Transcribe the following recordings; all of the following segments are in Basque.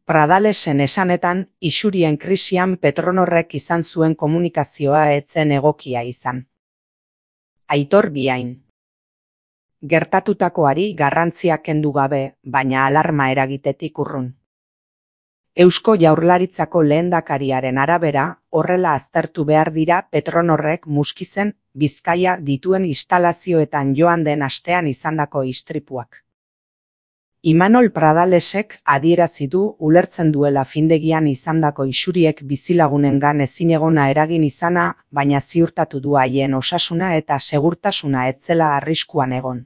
Pradalesen esanetan, isurien krisian Petronorrek izan zuen komunikazioa ez zen egokia izan. Aitor Biain. Gertatutakoari garrantzia kendu gabe, baina alarma eragitetik urrun. Eusko Jaurlaritzako lehendakariaren arabera, horrela aztertu behar dira Petronorrek Muskizen, Bizkaia dituen instalazioetan joan den astean izandako istripuak. Imanol Pradalesek adierazi du ulertzen duela findegian izandako isuriek bizilagunengan ezinegona eragin izana, baina ziurtatu du haien osasuna eta segurtasuna ez zela arriskuan egon.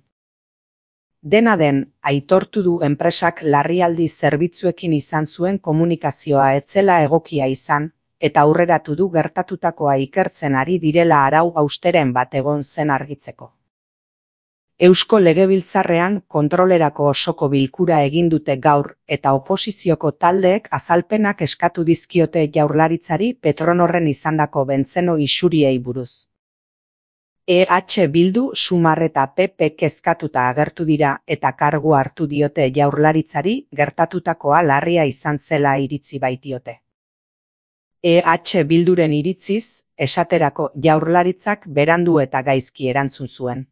Dena den, aitortu du enpresak larrialdi zerbitzuekin izan zuen komunikazioa ez zela egokia izan, eta aurreratu du gertatutakoa ikertzen ari direla arau hausteren bat egon zen argitzeko. Eusko Legebiltzarrean kontrolerako osoko bilkura egin dute gaur eta oposizioko taldeek azalpenak eskatu dizkiote Jaurlaritzari Petronorren izandako bentzeno isuriei buruz. EH Bildu, Sumar eta PP kezkatuta agertu dira eta kargu hartu diote Jaurlaritzari gertatutakoa larria izan zela iritzi baitiote. EH Bilduren iritziz, esaterako Jaurlaritzak berandu eta gaizki erantzun zuen.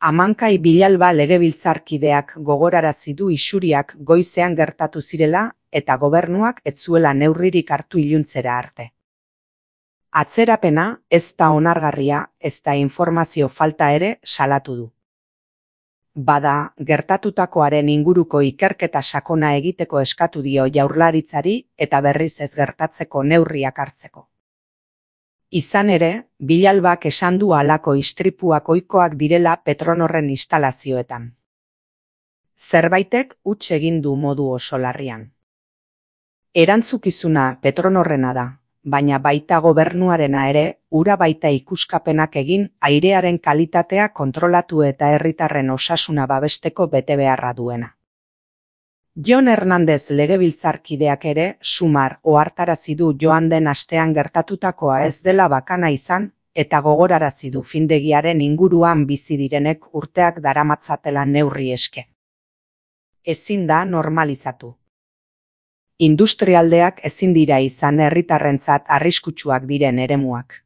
Amankai Bilalba legebiltzarkideak gogorarazi du isuriak goizean gertatu zirela eta gobernuak ez zuela neurririk hartu iluntzera arte. Atzerapena ez da onargarria, ez da informazio falta ere salatu du. Bada, gertatutakoaren inguruko ikerketa sakona egiteko eskatu dio Jaurlaritzari eta berriz ez gertatzeko neurriak hartzeko. Izan ere, Bilalbak esan du halako istripuak ohikoak direla Petronorren instalazioetan. Zerbaitek huts egin du modu oso larrian. Erantzukizuna Petronorrena da, baina baita gobernuarena ere, ura baita ikuskapenak egin airearen kalitatea kontrolatu eta herritarren osasuna babesteko betebeharra duena. Jon Hernandez legebiltzarkideak ere, Sumar ohartarazi du joan den astean gertatutakoa ez dela bakana izan, eta gogorarazi du findegiaren inguruan bizi direnek urteak daramatzatela neurri eske. Ezin da normalizatu. Industrialdeak ezin dira izan herritarrentzat arriskutsuak diren eremuak.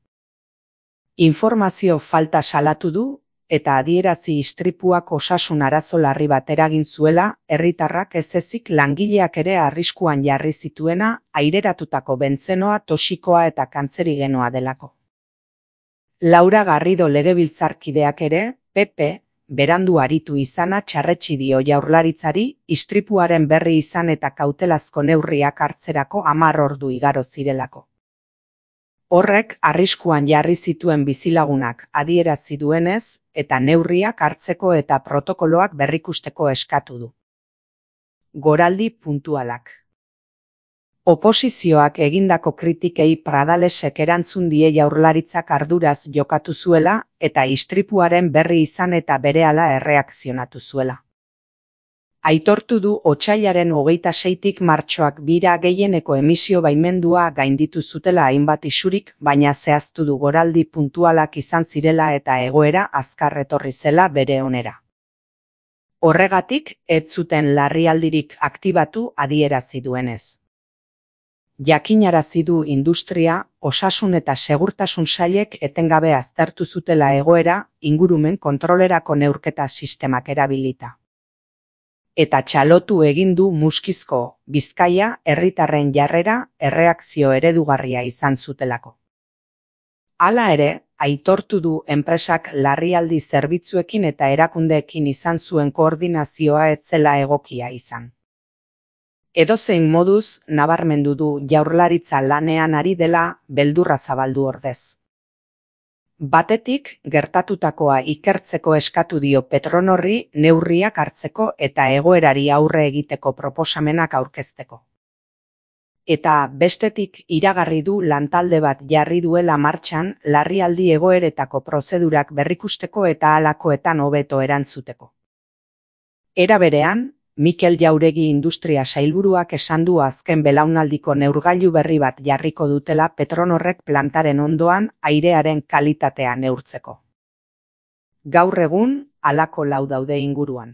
Informazio falta salatu du, eta adierazi istripuak osasun arazo larri bat eragin zuela, herritarrak ez ezik langileak ere arriskuan jarri zituena aireratutako bentzenoa toxikoa eta kantzerigenoa delako. Laura Garrido legebiltzarkideak ere, PP, berandu aritu izana txarretsi dio Jaurlaritzari, istripuaren berri izan eta kautelazko neurriak hartzerako 10 ordu igaro zirelako. Horrek arriskuan jarri zituen bizilagunak adierazi duenez eta neurriak hartzeko eta protokoloak berrikusteko eskatu du. Goraldi puntualak. Oposizioak egindako kritikei Pradalesek erantzun die Jaurlaritzak arduraz jokatu zuela eta istripuaren berri izan eta berehala erreakzionatu zuela. Aitortu du otsailaren 26tik martxoak 2 gehieneko emisio baimendua gainditu zutela hainbat isurik, baina zehaztu du goraldi puntualak izan zirela eta egoera azkar etorri zela bere onera. Horregatik, ez zuten larrialdirik aktibatu adierazi duenez. Jakinarazi du industria, osasun eta segurtasun sailek etengabe aztertu zutela egoera, ingurumen kontrolerako neurketa sistemak erabilita. Eta txalotu egin du Muskizko, Bizkaia, herritarren jarrera, erreakzio eredugarria izan zutelako. Hala ere, aitortu du enpresak larrialdi zerbitzuekin eta erakundeekin izan zuen koordinazioa ez zela egokia izan. Edozein moduz, nabarmendu du Jaurlaritza lanean ari dela beldurra zabaldu ordez. Batetik, gertatutakoa ikertzeko eskatu dio Petronorri neurriak hartzeko eta egoerari aurre egiteko proposamenak aurkezteko. Eta bestetik iragarri du lantalde bat jarri duela martxan larrialdi egoeretako prozedurak berrikusteko eta halakoetan hobeto erantzuteko. Era berean, Mikel Jauregi industria sailburuak esan du azken belaunaldiko neurgailu berri bat jarriko dutela Petronorrek plantaren ondoan airearen kalitatea neurtzeko. Gaur egun, halako 4 daude inguruan.